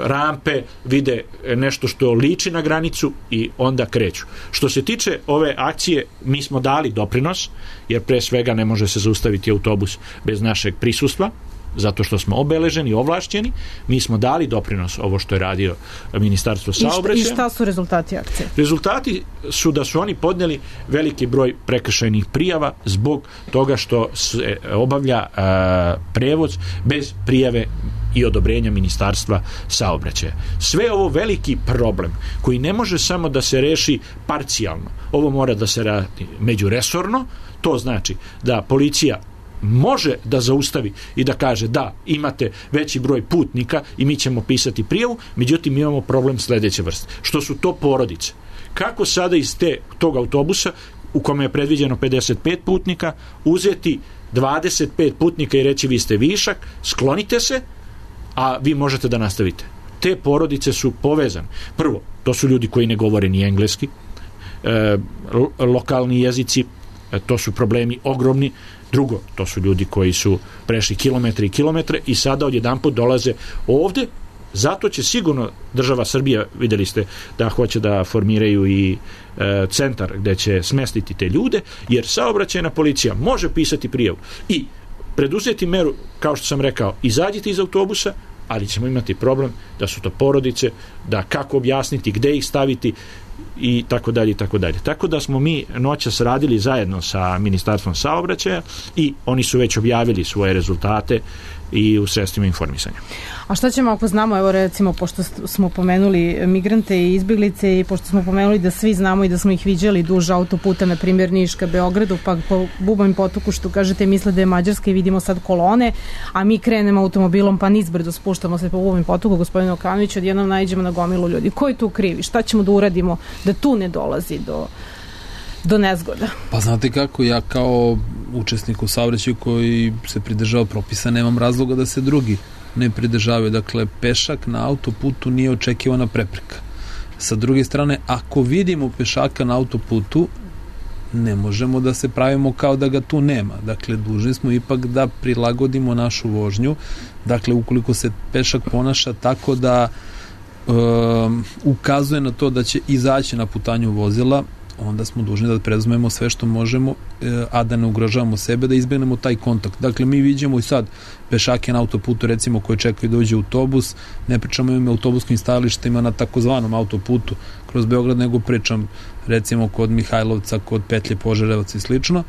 rampe, vide nešto što liči na granicu i onda kreću. Što se tiče ove akcije, mi smo dali doprinos, jer pre svega ne može se zaustaviti autobus bez našeg prisustva, zato što smo obeleženi, ovlašćeni. Mi smo dali doprinos ovo što je radio Ministarstvo saobraćaja. I šta, i šta su rezultati akcije? Rezultati su da su oni podneli veliki broj prekršajnih prijava zbog toga što se obavlja a, prevoz bez prijave i odobrenja Ministarstva saobraćaja. Sve ovo veliki problem koji ne može samo da se reši parcijalno. Ovo mora da se radi međuresorno. To znači da policija može da zaustavi i da kaže da, imate veći broj putnika i mi ćemo pisati prijavu, međutim imamo problem sledeće vrste. Što su to porodice? Kako sada iz te, tog autobusa u kome je predviđeno pedeset pet putnika uzeti dvadeset pet putnika i reći vi ste višak, sklonite se, a vi možete da nastavite? Te porodice su povezane. Prvo, to su ljudi koji ne govore ni engleski, e, lokalni jezici, e, to su problemi ogromni. Drugo, to su ljudi koji su prešli kilometre i kilometre i sada odjedanput dolaze ovde. Zato će sigurno država Srbija, videli ste da hoće da formiraju i e, centar gde će smestiti te ljude, jer saobraćajna policija može pisati prijavu i preduzeti meru, kao što sam rekao, izađite iz autobusa, ali ćemo imati problem da su to porodice, da kako objasniti, gde ih staviti i tako dalje i tako dalje. Tako da smo mi noćas radili zajedno sa Ministarstvom saobraćaja i oni su već objavili svoje rezultate i u sredstvima informisanja. A šta ćemo ako znamo, evo recimo, pošto smo pomenuli migrante i izbjeglice i pošto smo pomenuli da svi znamo i da smo ih viđali duž autoputa, na primjer Niška Beogradu, pa po Bubanj Potoku, što kažete, misle da je Mađarska i vidimo sad kolone, a mi krenemo automobilom pa nizbrdo spuštamo se po Bubanj Potoku, gospodine Okanović, odjednom naiđemo na gomilu ljudi. Ko je tu krivi? Šta ćemo da uradimo da tu ne dolazi do do nezgoda? Pa znate kako, ja kao učesnik u saobraćaju koji se pridržava propisa nemam razloga da se drugi ne pridržavaju. Dakle, pešak na autoputu nije očekivana prepreka. Sa druge strane, ako vidimo pešaka na autoputu, ne možemo da se pravimo kao da ga tu nema. Dakle, dužni smo ipak da prilagodimo našu vožnju. Dakle, ukoliko se pešak ponaša tako da um, ukazuje na to da će izaći na putanju vozila, onda smo dužni da preduzmemo sve što možemo, a da ne ugrožavamo sebe, da izbegnemo taj kontakt. Dakle, mi vidimo i sad pešake na autoputu, recimo, koji čekaju da uđe autobus, ne pričamo im autobuskim stajalištima na takozvanom autoputu kroz Beograd, nego pričam recimo kod Mihajlovca, kod petlje Požarevac i slično,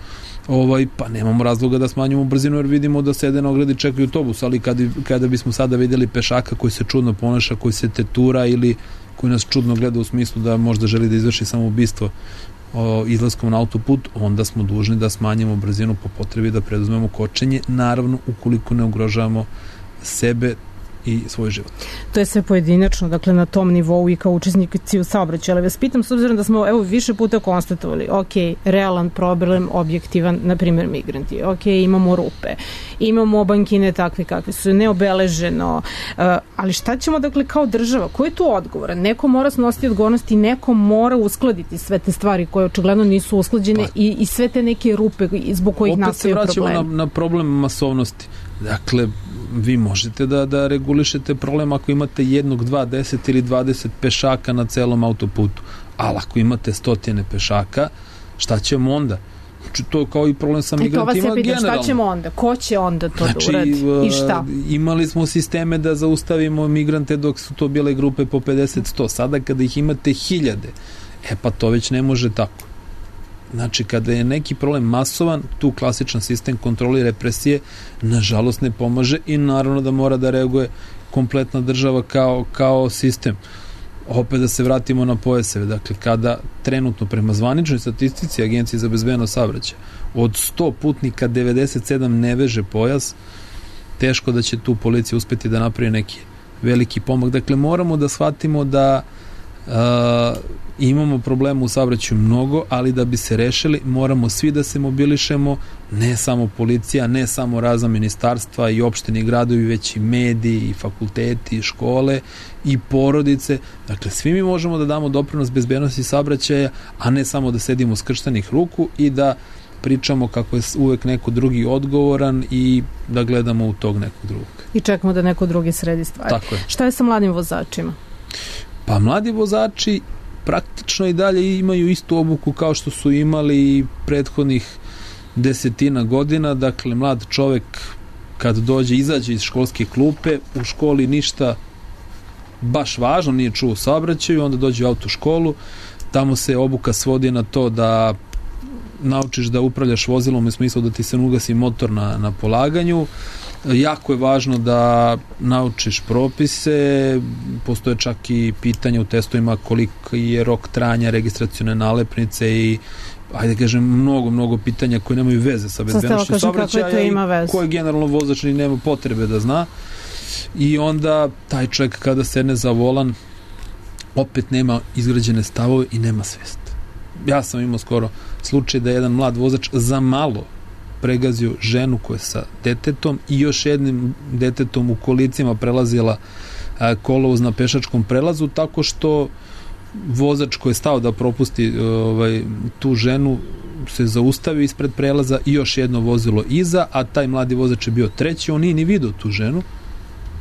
ovaj, pa nemamo razloga da smanjimo brzinu jer vidimo da sede na ogradi, čekaju autobus, ali kada, kada bismo sada vidjeli pešaka koji se čudno ponaša, koji se tetura ili koji nas čudno gleda u smislu da možda želi da izvrši samoubistvo o, izlaskom na autoput, onda smo dužni da smanjimo brzinu po potrebi, da preduzmemo kočenje, naravno ukoliko ne ugrožavamo sebe i svoj život. To je sve pojedinačno, dakle na tom nivou i kao učesnici u saobraćaju. Ali vas pitam, s obzirom da smo evo više puta konstatovali, ok, realan problem, objektivan, na primjer migranti, ok, imamo rupe, imamo bankine takve kakve su, neobeleženo, uh, ali šta ćemo dakle kao država, ko je tu odgovoran? Neko mora snositi odgovornost i neko mora uskladiti sve te stvari koje očigledno nisu usklađene pa, i, i sve te neke rupe zbog kojih nastaju problemi. Opet se vraćamo na, na problem masovnosti. Dakle, vi možete da, da regulišete problem ako imate jednog, dva, deset ili dvadeset pešaka na celom autoputu. Ali ako imate stotine pešaka, šta ćemo onda? Znači, to je kao i problem sa migrantima generalno. Pitam, šta ćemo onda? Ko će onda to znači, da uradi? I šta? Imali smo sisteme da zaustavimo migrante dok su to bile grupe po pedeset sto. Sada kada ih imate hiljade, e pa to već ne može tako. Znači, kada je neki problem masovan, tu klasičan sistem kontrole i represije nažalost ne pomaže i naravno da mora da reaguje kompletna država kao, kao sistem. Opet da se vratimo na pojaseve. Dakle, kada trenutno prema zvaničnoj statistici Agencije za bezbednost saobraćaja od sto putnika devedeset sedam ne veže pojas, teško da će tu policija uspeti da napravi neki veliki pomak. Dakle, moramo da shvatimo da uh, imamo problema u saobraćaju mnogo, ali da bi se rešili moramo svi da se mobilišemo, ne samo policija, ne samo razna ministarstva i opštine i gradovi, već i mediji i fakulteti i škole i porodice. Dakle, svi mi možemo da damo doprinos bezbednosti saobraćaja, a ne samo da sedimo skrštenih ruku i da pričamo kako je uvek neko drugi odgovoran i da gledamo u tog nekog drugog. I čekamo da neko drugi sredi stvari. Tako je. Šta je sa mladim vozačima? Pa mladi vozači praktično i dalje imaju istu obuku kao što su imali prethodnih desetina godina. Dakle, mlad čovek kad dođe, izađe iz školske klupe, u školi ništa baš važno nije čuo u saobraćaju, onda dođe u autoškolu, tamo se obuka svodi na to da naučiš da upravljaš vozilom u smislu da ti se ugasi motor na, na polaganju. Jako je važno da naučiš propise, postoje čak i pitanja u testovima koliko je rok trajanja registracione nalepnice i ajde kažem mnogo, mnogo pitanja koje nemaju veze sa bezbednošću saobraćaja i koje generalno vozač ni nema potrebe da zna. I onda taj čovjek kada sedne za volan opet nema izgrađene stavove i nema svest. Ja sam imao skoro slučaj da je jedan mlad vozač za malo pregazio ženu koja je sa detetom i još jednim detetom u kolicima prelazila kolovoz na pešačkom prelazu, tako što vozač koji je stao da propusti ovaj, tu ženu se zaustavio ispred prelaza i još jedno vozilo iza, a taj mladi vozač je bio treći, on nije ni vidio tu ženu,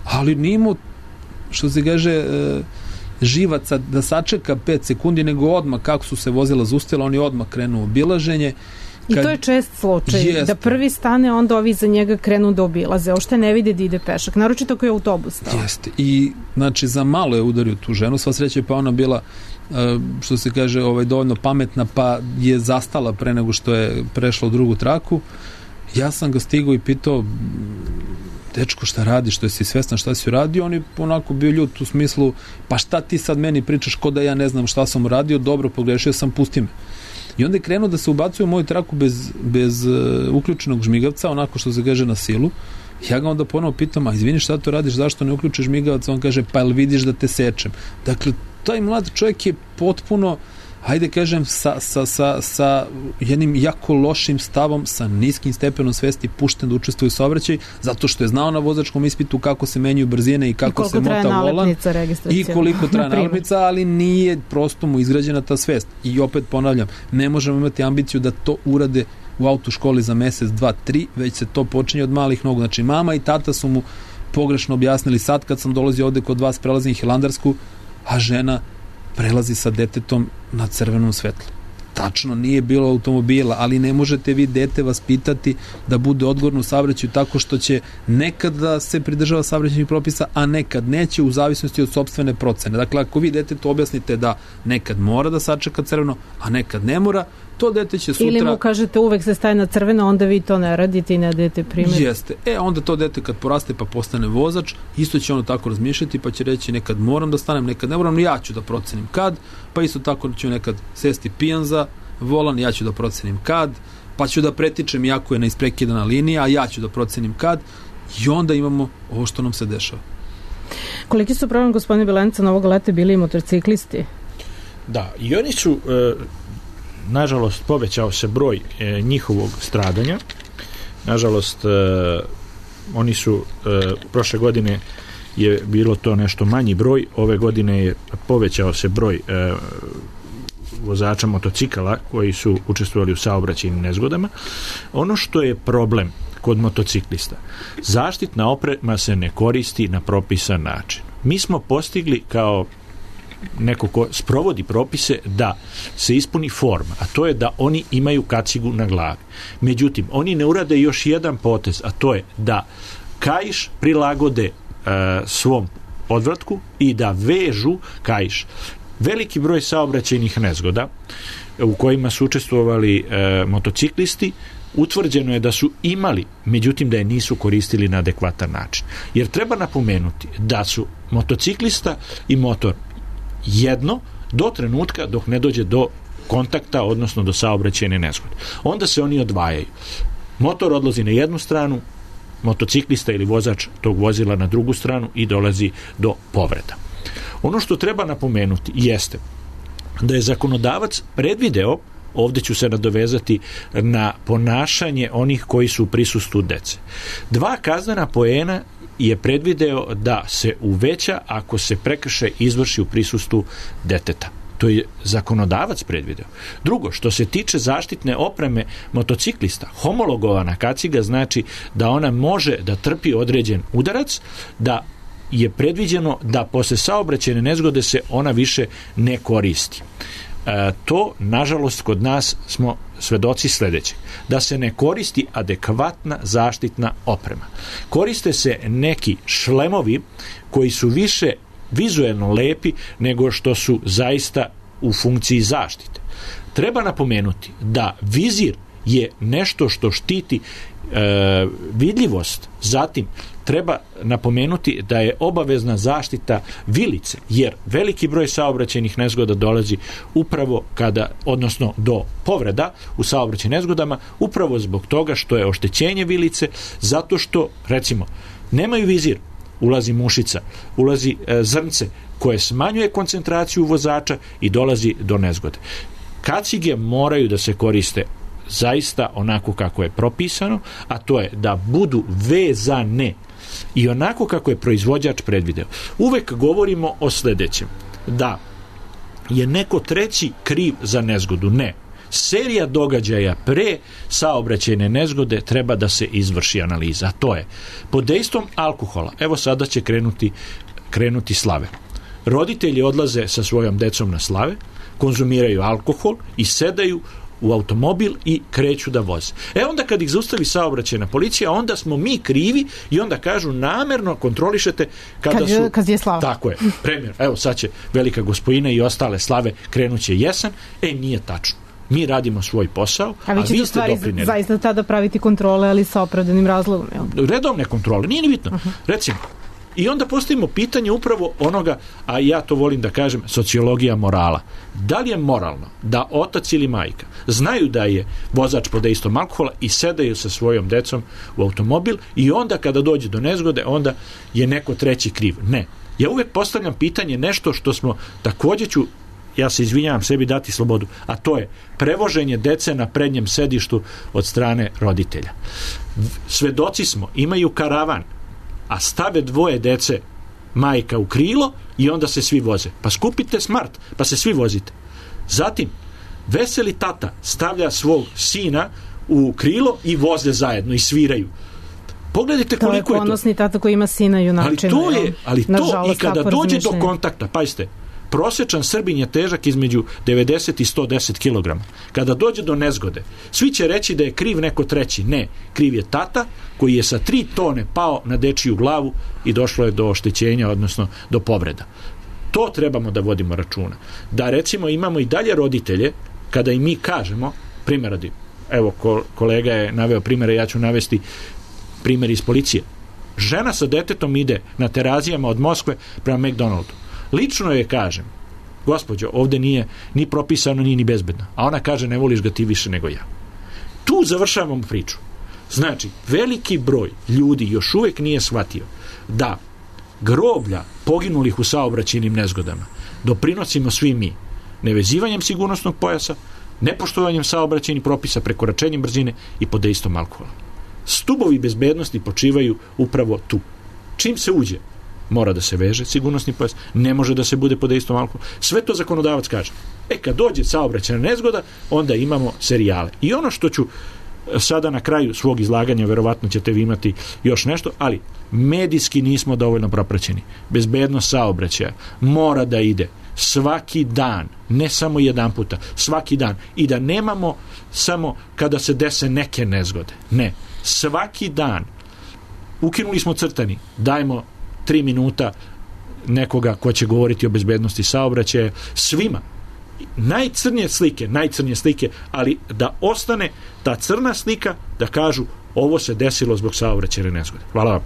ali nije imao, što se kaže, živaca da sačeka pet sekundi, nego odmah kako su se vozila zaustavila, on je odmah krenuo u obilaženje. I to je čest slučaj, jest, da prvi stane, onda ovi za njega krenu da obilaze, ošte ne vide da ide pešak, naročito ako je autobus stao. Jeste, i znači za malo je udario tu ženu, sva sreća pa ona bila, što se kaže, ovaj, dovoljno pametna, pa je zastala pre nego što je prešla u drugu traku. Ja sam ga stigao i pitao, dečko, šta radi, što je si svestan šta si uradio, on je onako bio ljut u smislu, pa šta ti sad meni pričaš ko da ja ne znam šta sam uradio, dobro, pogrešio sam, pusti me. I onda je krenuo da se ubacuje u moju traku bez, bez uh, uključenog žmigavca, onako što se kaže na silu. Ja ga onda ponovo pitam, a izvini, šta to radiš, zašto ne uključiš žmigavac? On kaže, pa jel vidiš da te sečem? Dakle, taj mlad čovjek je potpuno, hajde kažem, sa, sa, sa, sa jednim jako lošim stavom, sa niskim stepenom svesti pušten da učestvuje u saobraćaju, zato što je znao na vozačkom ispitu kako se menjaju brzine i kako I se mota volan i koliko traje nalepnica, ali nije prosto mu izgrađena ta svest. I opet ponavljam, ne možemo imati ambiciju da to urade u autoškoli za mesec, dva, tri, već se to počinje od malih nogu. Znači, mama i tata su mu pogrešno objasnili, sad kad sam dolazio ovde kod vas, prelazim Hilandarsku, a žena prelazi sa detetom na crvenom svetlu. Tačno, nije bilo automobila, ali ne možete vi dete vaspitati da bude odgovorno u saobraćaju tako što će nekad da se pridržava saobraćajnih propisa, a nekad neće, u zavisnosti od sopstvene procene. Dakle, ako vi detetu objasnite da nekad mora da sačeka crveno, a nekad ne mora, to dete će sutra... Ili mu kažete uvek se staje na crveno, onda vi to ne radite i ne dajete primjer. Jeste. E, onda to dete kad poraste pa postane vozač, isto će ono tako razmišljati, pa će reći nekad moram da stanem, nekad ne moram, ja ću da procenim kad, pa isto tako ću nekad sesti pijan za volan, ja ću da procenim kad, pa ću da pretičem jako je na isprekidana linija, a ja ću da procenim kad, i onda imamo ovo što nam se dešava. Koliki su problem, gospodine Bilenca, novog leta bili i motorciklisti? Da, i oni su, e, nažalost, povećao se broj e, njihovog stradanja. Nažalost, e, oni su e, prošle godine je bilo to nešto manji broj, ove godine je povećao se broj e, vozača motocikala koji su učestvovali u saobraćajnim nezgodama. Ono što je problem kod motociklista, zaštitna oprema se ne koristi na propisan način. Mi smo postigli kao neko ko sprovodi propise da se ispuni forma, a to je da oni imaju kacigu na glavi. Međutim, oni ne urade još jedan potez, a to je da kaiš prilagode e, svom odvratku i da vežu kaiš. Veliki broj saobraćajnih nezgoda u kojima su učestvovali e, motociklisti, utvrđeno je da su imali, međutim da je nisu koristili na adekvatan način. Jer treba napomenuti da su motociklista i motor jedno do trenutka dok ne dođe do kontakta, odnosno do saobraćajne nezgode. Onda se oni odvajaju. Motor odlazi na jednu stranu, motociklista ili vozač tog vozila na drugu stranu i dolazi do povreda. Ono što treba napomenuti jeste da je zakonodavac predvideo, ovdje ću se nadovezati na ponašanje onih koji su u prisustvu dece. Dva kaznena poena je predvideo da se uveća ako se prekršaj izvrši u prisustvu deteta. To je zakonodavac predvideo. Drugo, što se tiče zaštitne opreme motociklista, homologovana kaciga znači da ona može da trpi određen udarac, da je predviđeno da posle saobraćajne nezgode se ona više ne koristi. E, to, nažalost, kod nas smo svedoci sledećeg. Da se ne koristi adekvatna zaštitna oprema. Koriste se neki šlemovi koji su više vizuelno lepi nego što su zaista u funkciji zaštite. Treba napomenuti da vizir je nešto što štiti e, vidljivost. Zatim treba napomenuti da je obavezna zaštita vilice, jer veliki broj saobraćajnih nezgoda dolazi upravo kada, odnosno do povreda u saobraćajnim nezgodama, upravo zbog toga što je oštećenje vilice, zato što, recimo, nemaju vizir, ulazi mušica, ulazi e, zrnce koje smanjuje koncentraciju vozača i dolazi do nezgode. Kacige moraju da se koriste zaista onako kako je propisano, a to je da budu vezane i onako kako je proizvođač predvideo. Uvek govorimo o sledećem, da je neko treći kriv za nezgodu. Ne. Serija događaja pre saobraćajne nezgode treba da se izvrši analiza. A to je, pod dejstvom alkohola, evo sada će krenuti, krenuti slave. Roditelji odlaze sa svojom decom na slave, konzumiraju alkohol i sedaju u automobil i kreću da voze. E onda kad ih zaustavi saobraćajna policija, onda smo mi krivi i onda kažu namerno kontrolišete kada kad, su... Kad je slava. Tako je. Primjer, evo sad će Velika Gospojina i ostale slave krenuće jesen. E, nije tačno. Mi radimo svoj posao, a, a vi, vi ste doprinjeli. Zaista tada praviti kontrole, ali sa opravdanim razlogom. Jel? Redovne kontrole, nije ni bitno. Uh-huh. Recimo, i onda postavimo pitanje upravo onoga, a ja to volim da kažem, sociologija morala. Da li je moralno da otac ili majka znaju da je vozač pod dejstvom alkohola i sedaju sa svojom decom u automobil i onda kada dođe do nezgode, onda je neko treći kriv? Ne. Ja uvek postavljam pitanje nešto što smo, takođe ću, ja se izvinjavam sebi dati slobodu, a to je prevoženje dece na prednjem sedištu od strane roditelja. Svedoci smo, imaju karavan, a stave dvoje dece, majka u krilo i onda se svi voze. Pa skupite smart, pa se svi vozite. Zatim, veseli tata stavlja svog sina u krilo i voze zajedno i sviraju. Pogledajte koliko je to. To je ponosni tata koji ima sina junačina. Ali to je, ali to i kada dođe do kontakta, pazite, prosječan Srbin je težak između devedeset i sto deset kilograma. Kada dođe do nezgode, svi će reći da je kriv neko treći. Ne, kriv je tata koji je sa tri tone pao na dečiju glavu i došlo je do oštećenja, odnosno do povreda. To trebamo da vodimo računa. Da recimo imamo i dalje roditelje, kada i mi kažemo, primjer radi, evo kolega je naveo primjere, ja ću navesti primjer iz policije. Žena sa detetom ide na Terazijama od Moskve prema McDonaldu. Lično je kažem, gospođo, ovde nije ni propisano, ni ni bezbedno. A ona kaže, ne voliš ga ti više nego ja. Tu završavamo priču. Znači, veliki broj ljudi još uvek nije shvatio da groblja poginulih u saobraćajnim nezgodama doprinosimo svi mi, nevezivanjem sigurnosnog pojasa, nepoštovanjem saobraćajnih propisa, prekoračenjem brzine i pod dejstvom alkohola. Stubovi bezbednosti počivaju upravo tu. Čim se uđe, mora da se veže sigurnosni pojas, ne može da se bude pod dejstvom alkohola. Sve to zakonodavac kaže. E, kad dođe saobraćajna nezgoda, onda imamo serijale. I ono što ću sada na kraju svog izlaganja, verovatno ćete vi imati još nešto, ali medijski nismo dovoljno propraćeni. Bezbednost saobraćaja mora da ide svaki dan, ne samo jedan puta, svaki dan. I da nemamo samo kada se dese neke nezgode. Ne, svaki dan. Ukinuli smo crtani, dajmo tri minuta nekoga ko će govoriti o bezbednosti saobraćaja svima. Najcrnije slike, najcrnije slike, ali da ostane ta crna slika, da kažu ovo se desilo zbog saobraćajne nezgode. Hvala vam.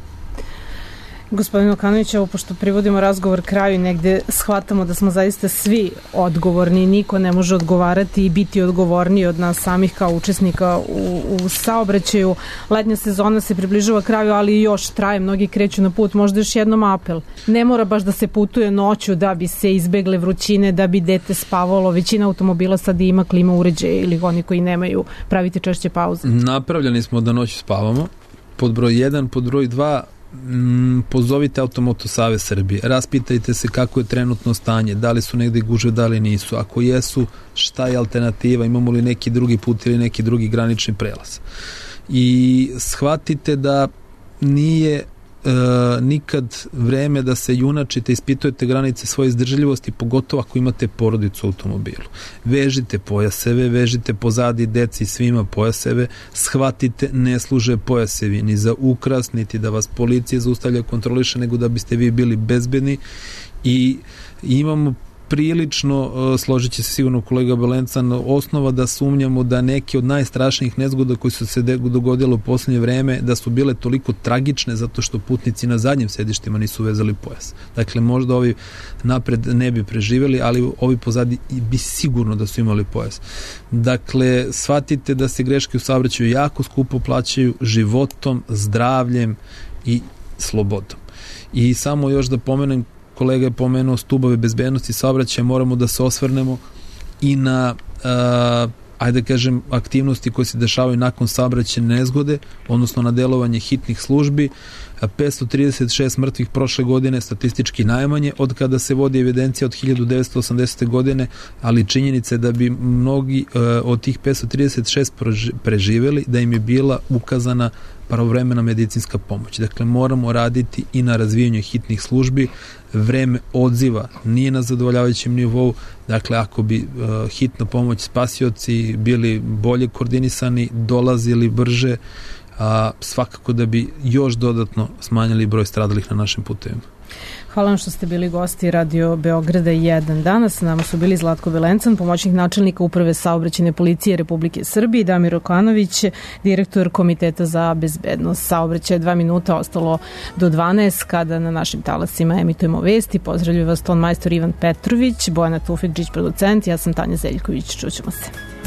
Gospodin Okanović, ovo pošto privodimo razgovor kraju i negde shvatamo da smo zaista svi odgovorni, niko ne može odgovarati i biti odgovorniji od nas samih kao učesnika u, u saobraćaju. Letnja sezona se približava kraju, ali još traje, mnogi kreću na put. Možda još jednom apel. Ne mora baš da se putuje noću da bi se izbegle vrućine, da bi dete spavalo. Većina automobila sad ima klima uređaje ili oni koji nemaju, pravite češće pauze. Napravljeni smo da noću spavamo. Pod broj jedan, pod broj dva, Mm, pozovite Automoto Savez Srbije, raspitajte se kako je trenutno stanje, da li su negde gužve, da li nisu, ako jesu, šta je alternativa, imamo li neki drugi put ili neki drugi granični prelaz. I shvatite da nije e, nikad vreme da se junačite, ispitujete granice svoje izdržljivosti, pogotovo ako imate porodicu u automobilu. Vežite pojaseve, vežite pozadi deci svima pojaseve, shvatite, ne služe pojasevi ni za ukras, niti da vas policija zaustavlja, kontroliše, nego da biste vi bili bezbedni. I imamo prilično, složit će se sigurno kolega Belencan, osnova da sumnjamo da neke od najstrašnijih nezgoda koji su se dogodile u poslednje vreme, da su bile toliko tragične zato što putnici na zadnjim sedištima nisu vezali pojas. Dakle, možda ovi napred ne bi preživeli, ali ovi pozadi bi sigurno da su imali pojas. Dakle, shvatite da se greške u saobraćaju jako skupo plaćaju životom, zdravljem i slobodom. I samo još da pomenem, kolega je pomenuo stubove bezbednosti saobraćaja, moramo da se osvrnemo i na uh, ajde kažem aktivnosti koje se dešavaju nakon saobraćajne nezgode, odnosno na delovanje hitnih službi. petsto trideset šest mrtvih prošle godine, statistički najmanje od kada se vodi evidencija od hiljadu devetsto osamdesete. godine, ali činjenica je da bi mnogi uh, od tih petsto trideset šest preživeli, da im je bila ukazana pravovremena medicinska pomoć. Dakle, moramo raditi i na razvijanju hitnih službi. Vreme odziva nije na zadovoljavajućem nivou. Dakle, ako bi uh, hitna pomoć, spasioci bili bolje koordinisani, dolazili brže, a svakako da bi još dodatno smanjili broj stradalih na našim putevima. Hvala vam što ste bili gosti Radio Beograda jedan. Danas s nama su bili Zlatko Belencan, pomoćnik načelnika Uprave saobraćajne policije Republike Srbije, i Damir Okanović, direktor Komiteta za bezbednost saobraćaja. Dva minuta ostalo do dvanaest kada na našim talasima emitujemo vesti. Pozdravljujem vas ton majstor Ivan Petrović, Bojana Tufekđić, producent, ja sam Tanja Zeljković. Čućemo se.